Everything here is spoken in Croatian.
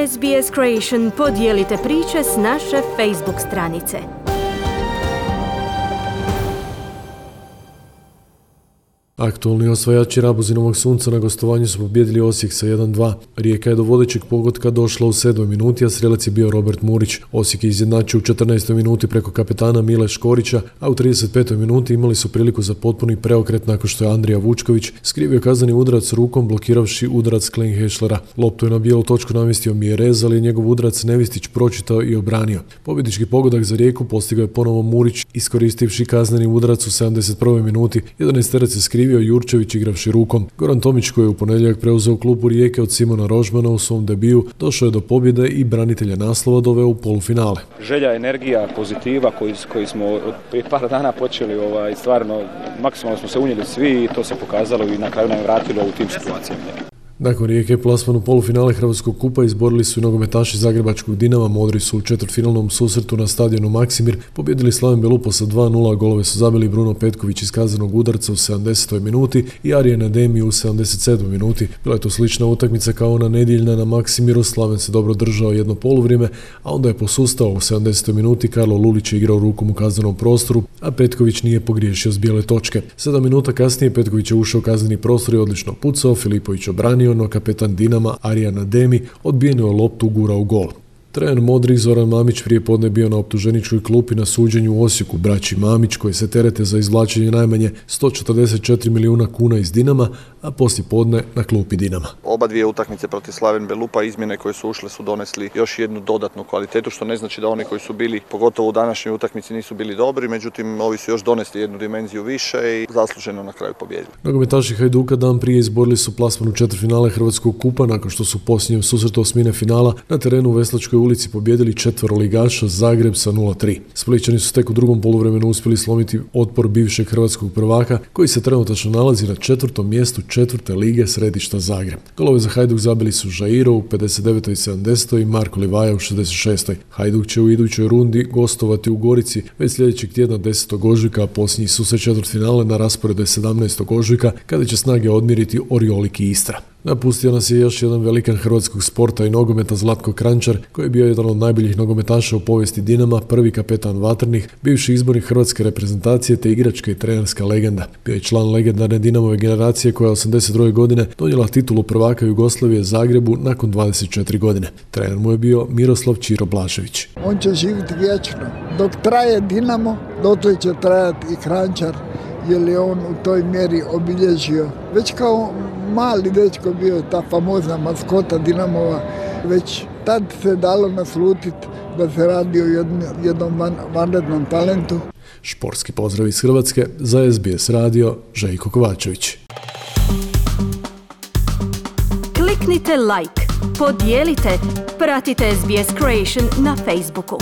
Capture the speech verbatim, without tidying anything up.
S B S Creation podijelite priče s naše Facebook stranice. Aktualni osvajači Rabuzinovog sunca na gostovanju su pobijedili Osijek sa jedan dva. Rijeka je do vodećeg pogotka došla u sedmoj minuti, a strelac je bio Robert Murić. Osijek je izjednačio u četrnaestoj minuti preko kapetana Mile Škorića, a u trideset petoj minuti imali su priliku za potpuni preokret nakon što je Andrija Vučković skrivio kazneni udarac rukom blokiravši udarac Klinghešlera. Loptu je na bijelu točku namjestio Mjerez, ali je njegov udarac Nevistić pročitao i obranio. Pobjednički pogodak za Rijeku postigao je ponovo Murić, iskoristivši kazneni udarac u sedamdeset prvoj minuti. jedanaesterac se skrivio Jurčević igravši rukom. Goran Tomić, koji je u ponedjeljak preuzeo klubu Rijeke od Simona Rožmana u svom debiju, došao je do pobjede i branitelja naslova doveo u polufinale. Želja, energija, pozitiva koji, koji smo od prije par dana počeli, ovaj, stvarno maksimalno smo se unijeli svi i to se pokazalo i na kraju nam vratilo u tim situacijama. Nakon Rijeke plasman u polufinale Hrvatskog kupa izborili su i nogometaši Zagrebačkog Dinama. Modri su u četvrtfinalnom susretu na stadionu Maksimir pobjedili Slaven Belupo sa dva nula. Golove su zabili Bruno Petković iz kaznenog udarca u sedamdesetoj minuti i Arjen Ademi u sedamdeset sedmoj minuti. Bila je to slična utakmica kao ona nedjeljna na Maksimiru. Slaven se dobro držao jedno poluvrijeme, a onda je posustao u sedamdesetoj minuti. Karlo Lulić je igrao rukom u kaznenom prostoru, a Petković nije pogriješio s bijele točke. Sedam minuta kasnije Petković je ušao u kazneni prostor i odlično pucao. Filipović obranio, no kapetan Dinama Arjen Ademi odbijeno je loptu ugurao u gol. Trener Modrih Zoran Mamić prije podne bio na optuženičkoj klupi na suđenju u Osijeku. Braći Mamić, koji se terete za izvlačenje najmanje sto četrdeset četiri milijuna kuna iz Dinama, a poslije podne na klupi Dinama. Oba dvije utakmice protiv Slaven Belupa, izmjene koje su ušle su donesli još jednu dodatnu kvalitetu, što ne znači da oni koji su bili, pogotovo u današnjoj utakmici, nisu bili dobri, međutim ovi su još donesli jednu dimenziju više i zasluženo na kraju pobijedili. Nogometaši Hajduka dan prije izborili su plasman u četvrtfinale Hrvatskog kupa nakon što su u posljednjem susretu osmine finala na terenu u Veslačkoj ulici pobijedili četveroligaša Zagreb sa nula tri. Splićani su tek u drugom poluvremenu uspjeli slomiti otpor bivšeg hrvatskog prvaka, koji se trenutačno nalazi na četvrtom mjestu četvrte lige središta Zagreb. Golove za Hajduk zabili su Žairo u pedeset devetoj i sedamdesetoj i Marko Livaja u šezdeset šestoj. Hajduk će u idućoj rundi gostovati u Gorici već sljedećeg tjedna desetog ožujka, a posljednji susret četvrtfinale na rasporedu je sedamnaestog ožujka, kada će snage odmiriti Oriolik i Istra. Napustio nas je još jedan velikan hrvatskog sporta i nogometa Zlatko Kranjčar, koji je bio jedan od najboljih nogometaša u povijesti Dinama, prvi kapetan Vatrnih, bivši izbornik hrvatske reprezentacije te igračka i trenerska legenda. Bio je član legendarne Dinamove generacije koja je osamdeset druge godine donijela titulu prvaka Jugoslavije Zagrebu nakon dvadeset četiri godine. Trener mu je bio Miroslav Ćiro Blažević. On će živjeti vječno. Dok traje Dinamo, dotle će trajati i Kranjčar, jer je on u toj mjeri obilježio. Već kao mali dečko bio ta famozna maskota Dinamova, već tad se dalo naslutiti da se radi o jednom, jednom van, vanrednom talentu. Športski pozdrav iz Hrvatske, za S B S radio, Željko Kovačević. Kliknite like, podijelite, pratite S B S Creation na Facebooku.